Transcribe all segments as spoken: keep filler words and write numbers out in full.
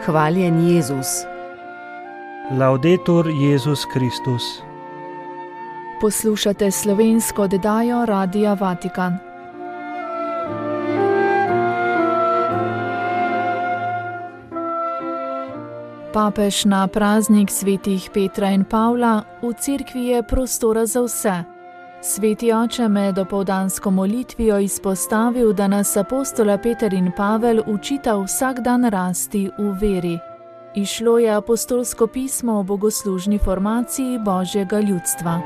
Hvaljen Jezus. Laudetur Jezus Kristus. Poslušate slovensko oddajo Radia Vatikan. Papež na praznik svetih Petra in Pavla: v cerkvi je prostora za vse. Sveti oče med dopoldansko molitvijo izpostavil, da nas apostola Peter in Pavel učita vsak dan rasti v veri. Izšlo je apostolsko pismo o bogoslužni formaciji Božjega ljudstva.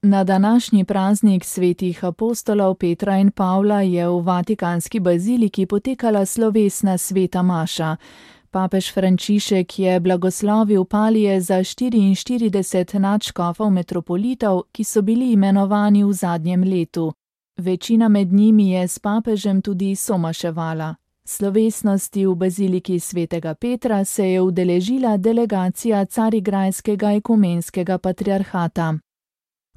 Na današnji praznik svetih apostolov Petra in Pavla je v vatikanski baziliki potekala slovesna sveta maša. Papež Frančišek je blagoslovil palije za štiriinštirideset nadškofov metropolitov, ki so bili imenovani v zadnjem letu. Večina med njimi je s papežem tudi somaševala. Slovesnosti v baziliki svetega Petra se je udeležila delegacija Carigrajskega ekumenskega patriarhata.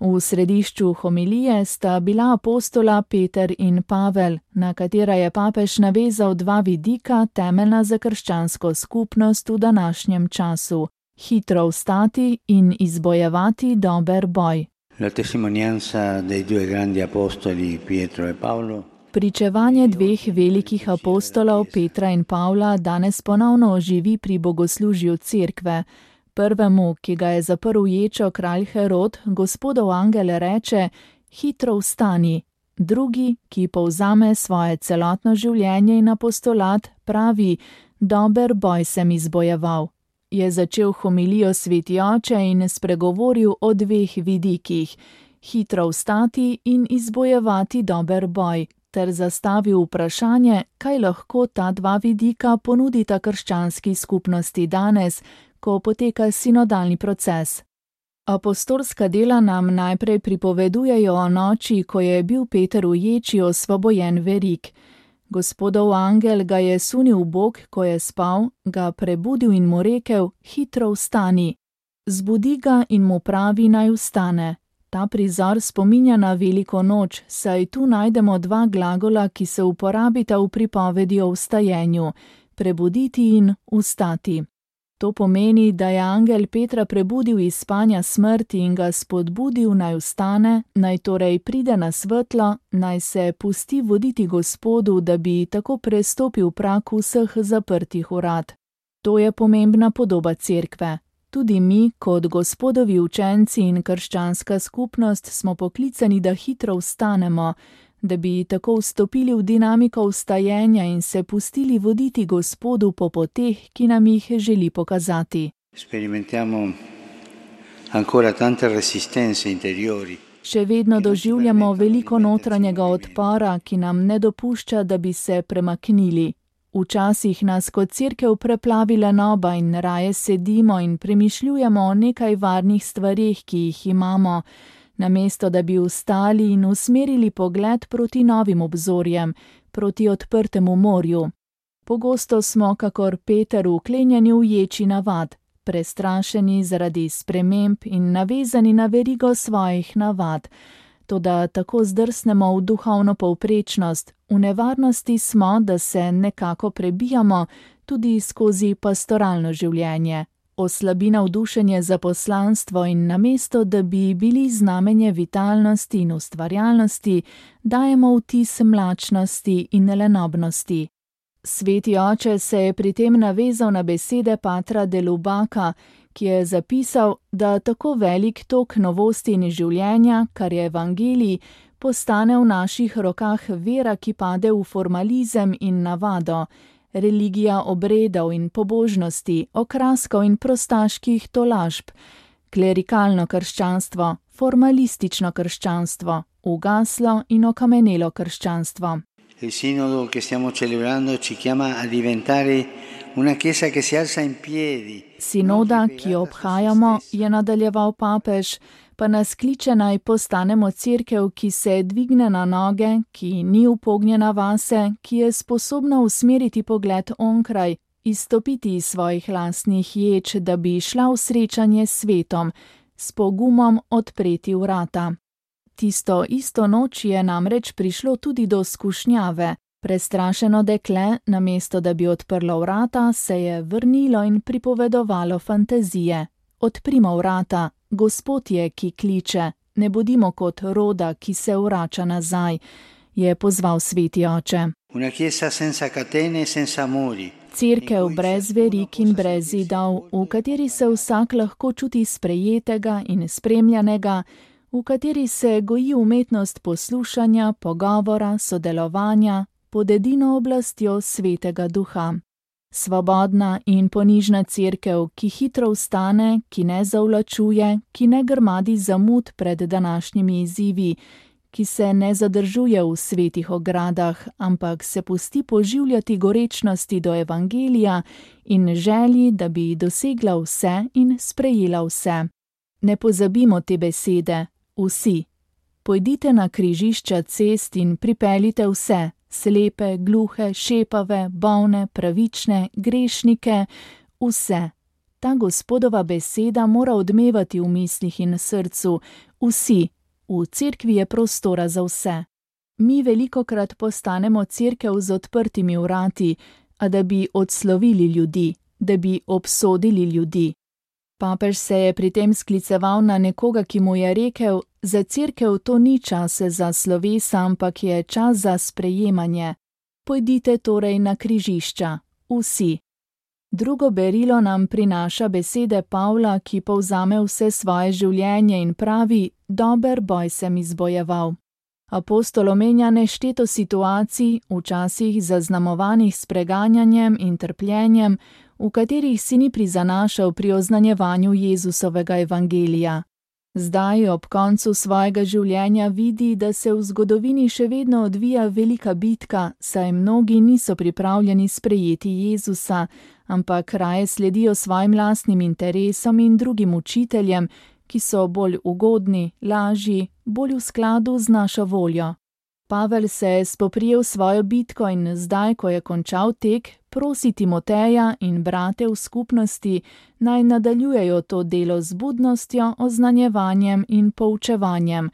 V središču homilije sta bila apostola Peter in Pavel, na katera je papež navezal dva vidika temeljna za krščansko skupnost v današnjem času: hitro vstati in izbojevati dober boj. La testimonianza dei due grandi apostoli Pietro e Paolo. Pričevanje dveh velikih apostolov Petra in Pavla danes ponovno oživi pri bogoslužju cerkve. Prvemu, ki ga je zaprl ječo kralj Herod, Gospodov angel reče: hitro vstani. Drugi, ki povzame svoje celotno življenje in apostolat, pravi: dober boj sem izbojeval. Je začel homilijo sveti oče in spregovoril o dveh vidikih: hitro vstati in izbojevati dober boj, ter zastavil vprašanje, kaj lahko ta dva vidika ponudita krščanski skupnosti danes, ko poteka sinodalni proces. Apostolska dela nam najprej pripovedujejo o noči, ko je bil Peter v ječi osvobojen verig. Gospodov angel ga je sunil v bok, ko je spal, ga prebudil in mu rekel: hitro vstani. Zbudi ga in mu pravi, naj vstane. Ta prizor spominja na veliko noč, saj tu najdemo dva glagola, ki se uporabita v pripovedi o vstajenju: prebuditi in vstati. To pomeni, da je angel Petra prebudil iz spanja smrti in ga spodbudil, naj vstane, naj torej pride na svetlo, naj se pusti voditi Gospodu, da bi tako prestopil prag vseh zaprtih vrat. To je pomembna podoba cerkve. Tudi mi, kot Gospodovi učenci in krščanska skupnost, smo poklicani, da hitro vstanemo, da bi tako vstopili v dinamiko vstajenja in se pustili voditi Gospodu po poteh, ki nam jih želi pokazati. Sperimentiamo ancora tante resistenze interiori. Še vedno doživljamo veliko notranjega odpora, ki nam ne dopušča, da bi se premaknili. Včasih nas kot cerkev preplavi lenoba in raje sedimo in premišljujemo o nekaj varnih stvareh, ki jih imamo, namesto da bi vstali in usmerili pogled proti novim obzorjem, proti odprtemu morju. Pogosto smo, kakor Peter, vklenjeni v ječi navad, prestrašeni zaradi sprememb in navezani na verigo svojih navad. Toda tako zdrsnemo v duhovno povprečnost, v nevarnosti smo, da se nekako prebijamo tudi skozi pastoralno življenje. Oslabi navdušenje za poslanstvo in namesto, da bi bili znamenje vitalnosti in ustvarjalnosti, dajemo vtis mlačnosti in lenobnosti. Sveti oče se je pri tem navezal na besede patra de Lubaka, ki je zapisal, da tako velik tok novosti in življenja, kar je evangelij, postane v naših rokah vera, ki pade v formalizem in navado, religija obredov in pobožnosti, okraskov in prostaških tolažb, klerikalno krščanstvo, formalistično krščanstvo, ugaslo in okamenelo krščanstvo. Il sinodo che stiamo celebrando ci chiama a diventare una chiesa che si alza in piedi. Sinoda, ki jo obhajamo, je nadaljeval papež, pa nas kliče naj postanemo cerkev, ki se dvigne na noge, ki ni upognjena vase, ki je sposobna usmeriti pogled onkraj, izstopiti iz svojih lastnih ječ, da bi šla v srečanje s svetom, s pogumom odpreti vrata. Tisto isto noč je namreč prišlo tudi do skušnjave. Prestrašeno dekle, namesto da bi odprlo vrata, se je vrnilo in pripovedovalo fantazije. Odprimo vrata, Gospod je, ki kliče, ne bodimo kot roda, ki se vrača nazaj, je pozval sveti oče. Una chiesa senza catene e senza muri. Cerkev brez verik in brez zidov, v kateri se vsak lahko čuti sprejetega in spremljanega, v kateri se goji umetnost poslušanja, pogovora, sodelovanja, pod edino oblastjo svetega duha. Svobodna in ponižna cerkev, ki hitro vstane, ki ne zavlačuje, ki ne grmadi zamud pred današnjimi izzivi, ki se ne zadržuje v svetih ogradah, ampak se pusti poživljati gorečnosti do evangelija in želji, da bi dosegla vse in sprejela vse. Ne pozabimo te besede, vsi. Pojdite na križišča cest in pripeljite vse, slepe, gluhe, šepave, bolne, pravične, grešnike, vse. Ta Gospodova beseda mora odmevati v mislih in srcu, vsi. V cerkvi je prostora za vse. Mi velikokrat postanemo cerkev z odprtimi vrati, a da bi odslovili ljudi, da bi obsodili ljudi. Papež se je pri tem skliceval na nekoga, ki mu je rekel, za cerkev to ni čas za slovesa, ampak je čas za sprejemanje. Pojdite torej na križišča, vsi. Drugo berilo nam prinaša besede Pavla, ki povzame vse svoje življenje in pravi, dober boj sem izbojeval. Apostol omenja nešteto situacij, včasih zaznamovanih s preganjanjem in trpljenjem, v katerih si ni prizanašal pri oznanjevanju Jezusovega evangelija. Zdaj, ob koncu svojega življenja, vidi, da se v zgodovini še vedno odvija velika bitka, saj mnogi niso pripravljeni sprejeti Jezusa, ampak raje sledijo svojim lastnim interesom in drugim učiteljem, ki so bolj ugodni, lažji, bolj v skladu z našo voljo. Pavel se je spoprijel svojo bitko in zdaj, ko je končal tek, prosi Timoteja in brate v skupnosti, naj nadaljujejo to delo z budnostjo, oznanjevanjem in poučevanjem.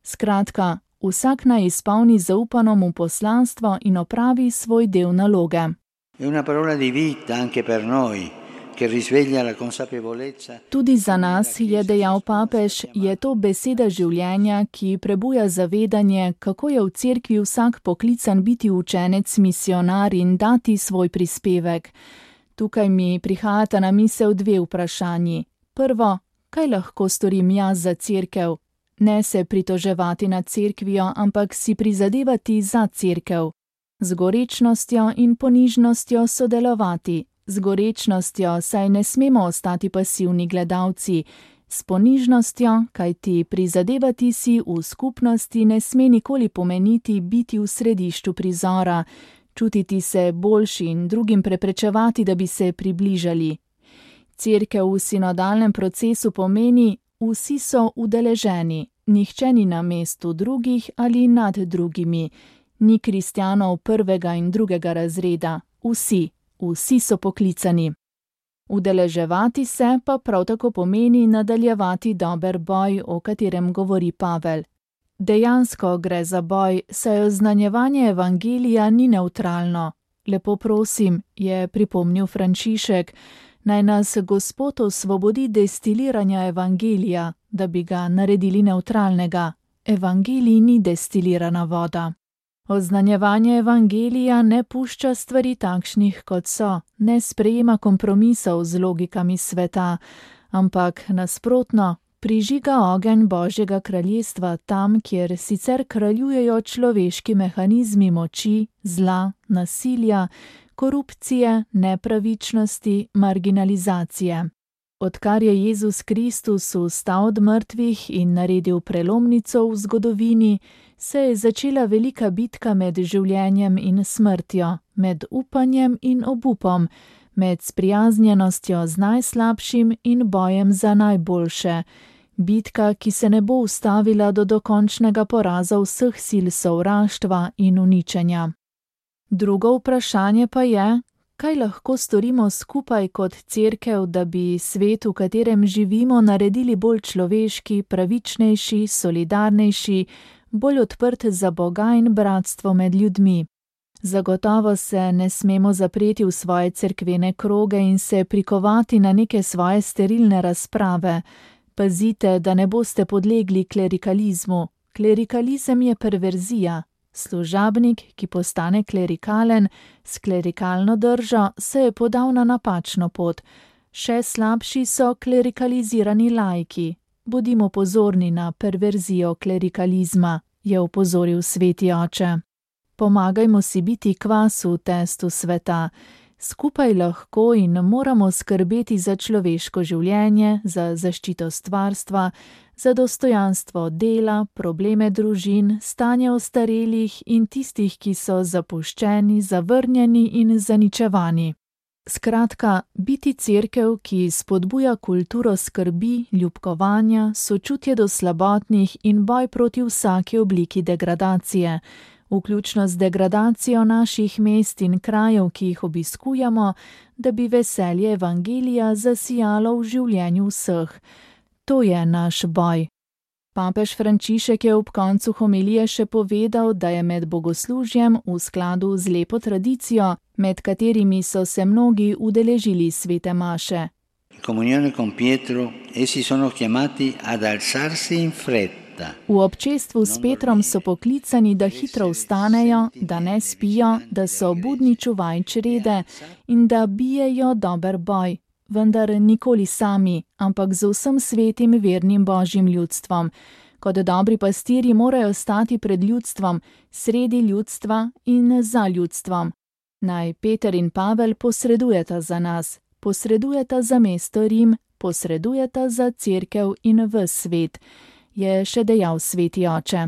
Skratka, vsak naj izpolni zaupano mu poslanstvo in opravi svoj del naloge. È una parola di vita anche per noi, che risveglia la consapevolezza. Tudi za nas, je dejal papež, je to beseda življenja, ki prebuja zavedanje, kako je v cerkvi vsak poklican biti učenec, misionar in dati svoj prispevek. Tukaj mi prihajata na misel dve vprašanji. Prvo, kaj lahko storim jaz za cerkev? Ne se pritoževati nad cerkvijo, ampak si prizadevati za cerkev. Z gorečnostjo in ponižnostjo sodelovati. Z gorečnostjo, saj ne smemo ostati pasivni gledalci, s ponižnostjo, kajti prizadevati si v skupnosti ne sme nikoli pomeniti biti v središču prizora, čutiti se boljši in drugim preprečevati, da bi se približali. Cerkev v sinodalnem procesu pomeni, vsi so udeleženi, nihče ni na mestu drugih ali nad drugimi, ni kristjanov prvega in drugega razreda, vsi. Vsi so poklicani. Udeleževati se pa prav tako pomeni nadaljevati dober boj, o katerem govori Pavel. Dejansko gre za boj, saj oznanjevanje evangelija ni nevtralno. Lepo prosim, je pripomnil Frančišek, naj nas Gospod osvobodi destiliranja evangelija, da bi ga naredili nevtralnega. Evangelij ni destilirana voda. Oznanjevanje evangelija ne pušča stvari takšnih, kot so, ne sprejema kompromisov z logikami sveta, ampak nasprotno, prižiga ogenj Božjega kraljestva tam, kjer sicer kraljujejo človeški mehanizmi moči, zla, nasilja, korupcije, nepravičnosti, marginalizacije. Odkar je Jezus Kristus vstal od mrtvih in naredil prelomnico v zgodovini, se je začela velika bitka med življenjem in smrtjo, med upanjem in obupom, med sprijaznjenostjo z najslabšim in bojem za najboljše. Bitka, ki se ne bo ustavila do dokončnega poraza vseh sil sovraštva in uničenja. Drugo vprašanje pa je, kaj lahko storimo skupaj kot cerkev, da bi svet, v katerem živimo, naredili bolj človeški, pravičnejši, solidarnejši, bolj odprt za Boga in bratstvo med ljudmi. Zagotovo se ne smemo zapreti v svoje cerkvene kroge in se prikovati na neke svoje sterilne razprave. Pazite, da ne boste podlegli klerikalizmu. Klerikalizem je perverzija. Služabnik, ki postane klerikalen, s klerikalno držo se je podal na napačno pot. Še slabši so klerikalizirani laiki. Bodimo pozorni na perverzijo klerikalizma, je opozoril sveti oče. Pomagajmo si biti kvas v testu sveta. Skupaj lahko in moramo skrbeti za človeško življenje, za zaščito stvarstva, za dostojanstvo dela, probleme družin, stanje ostarelih in tistih, ki so zapuščeni, zavrnjeni in zaničevani. Skratka, biti cerkev, ki spodbuja kulturo skrbi, ljubkovanja, sočutje do slabotnih in boj proti vsaki obliki degradacije, vključno z degradacijo naših mest in krajev, ki jih obiskujemo, da bi veselje evangelija zasijalo v življenju vseh. To je naš boj. Papež Frančišek je ob koncu homilije še povedal, da je med bogoslužjem v skladu z lepo tradicijo, med katerimi so se mnogi udeležili svete maše. Comunione con Pietro, essi sono chiamati ad alzarsi in fretta. V občestvu s Petrom so poklicani, da hitro vstanejo, da ne spijo, da so budni čuvaj črede in da bijejo dober boj. Vendar nikoli sami, ampak z vsem svetim vernim božjim ljudstvom. Kot dobri pastirji morajo stati pred ljudstvom, sredi ljudstva in za ljudstvom. Naj Peter in Pavel posredujeta za nas, posredujeta za mesto Rim, posredujeta za cerkev in ves svet, je še dejal sveti oče.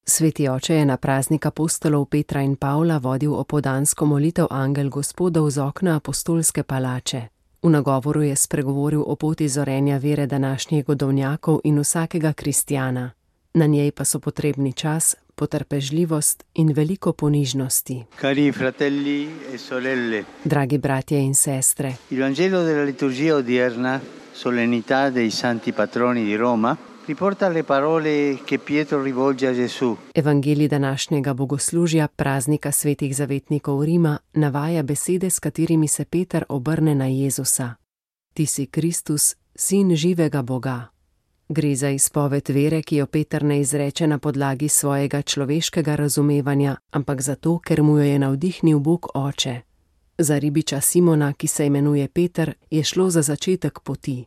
Sveti oče je na praznik apostolov Petra in Pavla vodil opoldansko molitev Angel Gospodov z okna apostolske palače. V nagovoru je spregovoril o poti zorenja vere današnjih godovnjakov in vsakega kristjana. Na njej pa so potrebni čas, potrpežljivost in veliko ponižnosti. Cari fratelli e sorelle. Dragi bratje in sestre. Il Vangelo della liturgia odierna, solennità dei santi patroni di Roma, riporta le parole che Pietro rivolge a Gesù. Evangelij današnjega bogoslužja, praznika svetih zavetnikov Rima, navaja besede, s katerimi se Peter obrne na Jezusa. Ti si Kristus, sin živega Boga. Gre za izpoved vere, ki jo Peter ne izreče na podlagi svojega človeškega razumevanja, ampak zato, ker mu jo je navdihnil Bog Oče. Za ribiča Simona, ki se imenuje Peter, je šlo za začetek poti.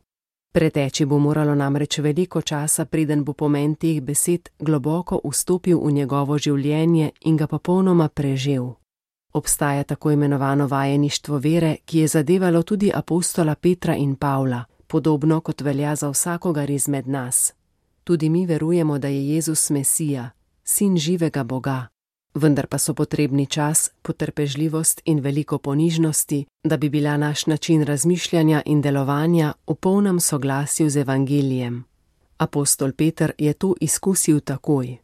Preteči bo moralo namreč veliko časa, preden bo pomen teh besed globoko vstopil v njegovo življenje in ga popolnoma prežel. Obstaja tako imenovano vajeništvo vere, ki je zadevalo tudi apostola Petra in Pavla, podobno kot velja za vsakogar izmed nas. Tudi mi verujemo, da je Jezus Mesija, sin živega Boga. Vendar pa so potrebni čas, potrpežljivost in veliko ponižnosti, da bi bila naš način razmišljanja in delovanja v polnem soglasju z evangelijem. Apostol Peter je to izkusil takoj.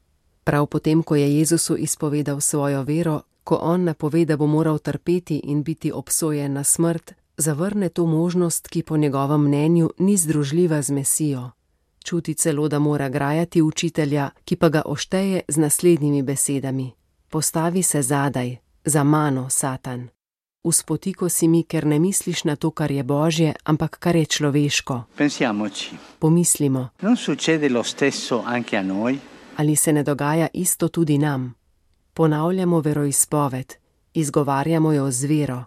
Prav potem, ko je Jezusu izpovedal svojo vero, ko on napove, da bo moral trpeti in biti obsojen na smrt, zavrne to možnost, ki po njegovem mnenju ni združljiva z Mesijo. Čuti celo, da mora grajati učitelja, ki pa ga ošteje z naslednjimi besedami. Postavi se zadaj, za mano, Satan. Uspotiko si mi, ker ne misliš na to, kar je Božje, ampak kar je človeško. Pensiamoci. Pomislimo. Non succede lo stesso anche a noi? Ali se ne dogaja isto tudi nam? Ponavljamo veroizpoved, izgovarjamo jo z vero,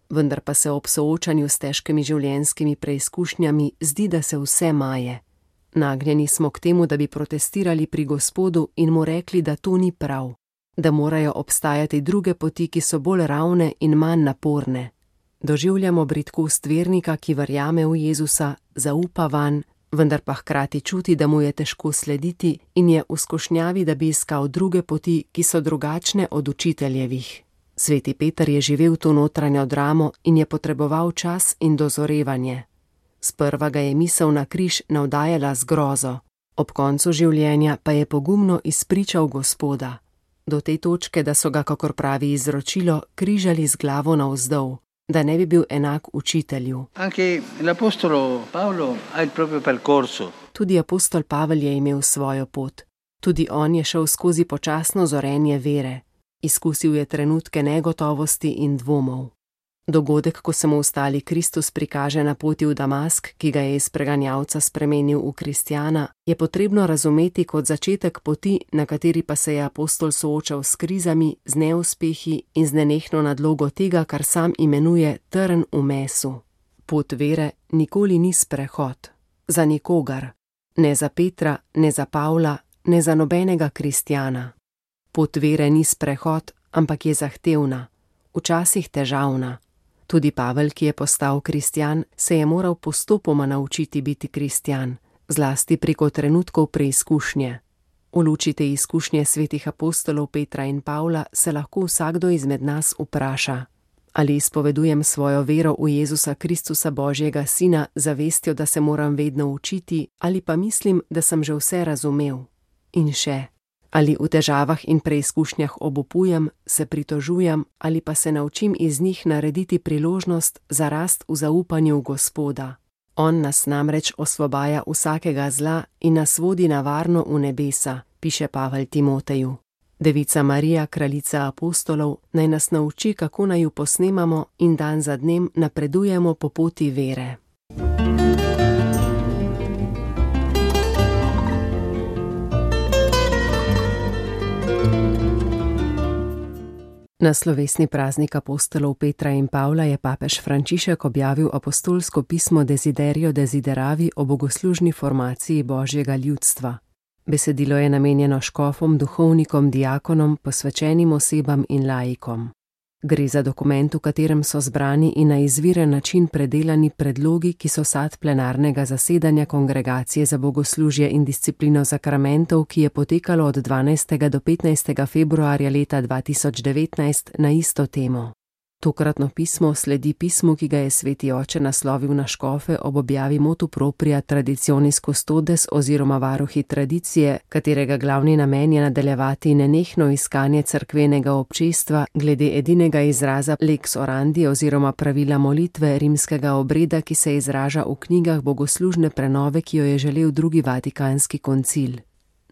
vendar pa se ob soočanju s težkimi življenjskimi preizkušnjami zdi, da se vse maje. Nagnjeni smo k temu, da bi protestirali pri Gospodu in mu rekli, da to ni prav, da morajo obstajati druge poti, ki so bolj ravne in manj naporne. Doživljamo bridkost vernika, ki verjame v Jezusa, zaupa vanj, vendar pa hkrati čuti, da mu je težko slediti in je v skušnjavi, da bi iskal druge poti, ki so drugačne od učiteljevih. Sveti Peter je živel to notranjo dramo in je potreboval čas in dozorevanje. Sprva ga je misel na križ navdajala z grozo, ob koncu življenja pa je pogumno izpričal Gospoda. Do te točke, da so ga, kakor pravi izročilo, križali z glavo navzdol. da ne bi bil enak učitelju. Anche l'Apostolo Paolo ha il proprio percorso. Tudi apostol Pavel je imel svojo pot. Tudi on je šel skozi počasno zorenje vere. Izkusil je trenutke negotovosti in dvomov. Dogodek, ko se mu ostali Kristus prikaže na poti v Damask, ki ga je iz preganjalca spremenil v kristjana, je potrebno razumeti kot začetek poti, na kateri pa se je apostol soočal s krizami, z neuspehi in z nenehno nadlogo tega, kar sam imenuje trn v mesu. Pot vere nikoli ni sprehod. Za nikogar. Ne za Petra, ne za Pavla, ne za nobenega kristjana. Pot vere ni sprehod, ampak je zahtevna, včasih težavna. Tudi Pavel, ki je postal kristjan, se je moral postopoma naučiti biti kristjan, zlasti preko trenutkov preizkušnje. V luči te izkušnje svetih apostolov Petra in Pavla se lahko vsakdo izmed nas vpraša: ali izpovedujem svojo vero v Jezusa Kristusa Božjega Sina z vestjo, da se moram vedno učiti, ali pa mislim, da sem že vse razumel? In še, ali v težavah in preizkušnjah obupujem, se pritožujem ali pa se naučim iz njih narediti priložnost za rast v zaupanju v Gospoda. On nas namreč osvobaja vsakega zla in nas vodi na varno v nebesa, piše Pavel Timoteju. Devica Marija, kraljica apostolov, naj nas nauči, kako naj ju posnemamo in dan za dnem napredujemo po poti vere. Na slovesni praznik apostolov Petra in Pavla je papež Frančišek objavil apostolsko pismo Desiderio Desideravi o bogoslužni formaciji Božjega ljudstva. Besedilo je namenjeno škofom, duhovnikom, diakonom, posvečenim osebam in laikom. Gre za dokument, v katerem so zbrani in na izviren način predelani predlogi, ki so sad plenarnega zasedanja Kongregacije za bogoslužje in disciplino zakramentov, ki je potekalo od dvanajstega do petnajstega februarja leta dva tisoč devetnajst na isto temo. Tokratno pismo sledi pismu, ki ga je sveti oče naslovil na škofe ob objavi motu propria Traditionis Custodes oziroma varuhi tradicije, katerega glavni namen je nadaljevati nenehno iskanje cerkvenega občestva glede edinega izraza lex orandi oziroma pravila molitve rimskega obreda, ki se izraža v knjigah bogoslužne prenove, ki jo je želel drugi vatikanski koncil.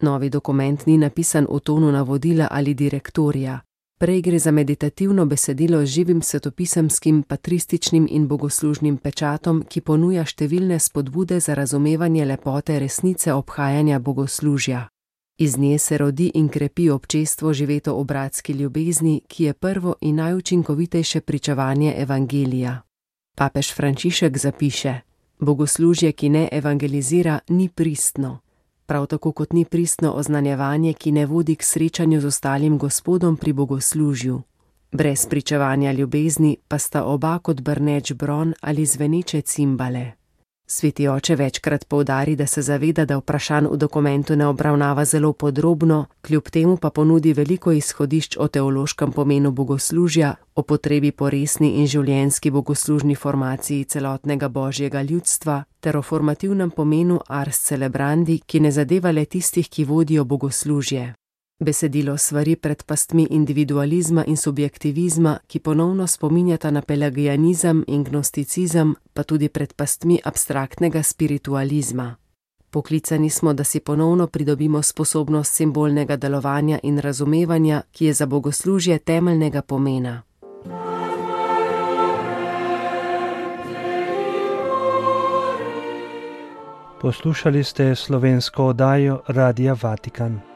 Novi dokument ni napisan v tonu navodila ali direktorija. Prej gre za meditativno besedilo z živim svetopisemskim, patrističnim in bogoslužnim pečatom, ki ponuja številne spodbude za razumevanje lepote resnice obhajanja bogoslužja. Iz nje se rodi in krepi občestvo živeto v bratski ljubezni, ki je prvo in najučinkovitejše pričevanje evangelija. Papež Frančišek zapiše: bogoslužje, ki ne evangelizira, ni pristno. Prav tako kot ni pristno oznanjevanje, ki ne vodi k srečanju z ostalim Gospodom pri bogoslužju. Brez pričevanja ljubezni pa sta oba kot brneč bron ali zveneče cimbale. Sveti oče večkrat poudari, da se zaveda, da vprašanj v dokumentu ne obravnava zelo podrobno, kljub temu pa ponudi veliko izhodišč o teološkem pomenu bogoslužja, o potrebi po resni in življenjski bogoslužni formaciji celotnega Božjega ljudstva ter o formativnem pomenu ars celebrandi, ki ne zadeva le tistih, ki vodijo bogoslužje. Besedilo svari pred pastmi individualizma in subjektivizma, ki ponovno spominjata na pelagianizem in gnosticizem, pa tudi pred pastmi abstraktnega spiritualizma. Poklicani smo, da si ponovno pridobimo sposobnost simbolnega delovanja in razumevanja, ki je za bogoslužje temeljnega pomena. Poslušali ste slovensko oddajo Radia Vatikan.